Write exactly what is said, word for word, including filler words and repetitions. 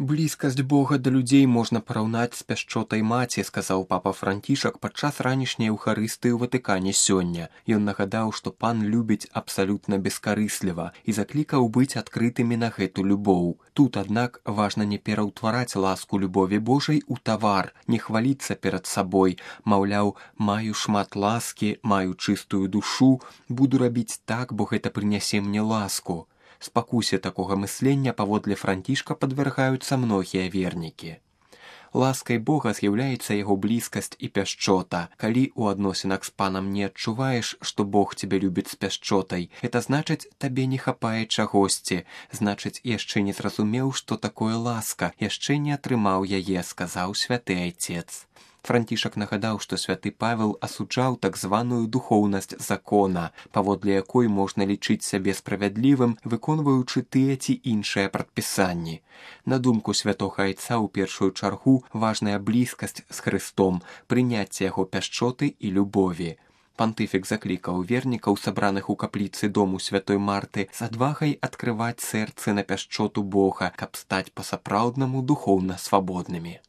Блізкасць Бога да людзей можна параўнаць з пяшчотай маці, сказаў папа Францішак падчас ранішняй еўхарыстыі ў Ватыкане сёння. Ён нагадаў, што пан любіць абсалютна бескарысліва і заклікаў быць адкрытымі на гэту любоў. Тут, аднак, важна не пераўтвараць ласку любові Божай у тавар, не хваліцца перад сабой, маўляў, маю шмат ласкі, маю чыстую душу, буду рабіць так, бо гэта прынясе мне ласку. Спакусе такога мыслення паводле Францішка падвяргаюцца многія вернікі. Ласкай Бога з'яўляецца яго блізкасць і пяшчота. Калі ў адносінах з панам не адчуваеш, што Бог цябе любіць з пяшчотай, гэта значыць, табе не хапае чагосьці, значыць, яшчэ не зразумеў, што такое ласка, яшчэ не атрымаў яе, сказаў святы айцец. Францішак нагадаў, што святы Павел асуджаў так званую духоўнасць закона, паводле якой можна лічыць сябе справядлівым, выконваючы тыя ці іншыя прадпісанні. На думку святога айца ў першую чаргу важная блізкасць з Хрыстом, прыняцце яго пяшчоты і любові. Пантыфік заклікаў вернікаў, сабраных у капліцы дому святой Марты, з адвагай адкрываць сэрцы на пяшчоту Бога, каб стаць па-сапраўднаму духоўна свабоднымі.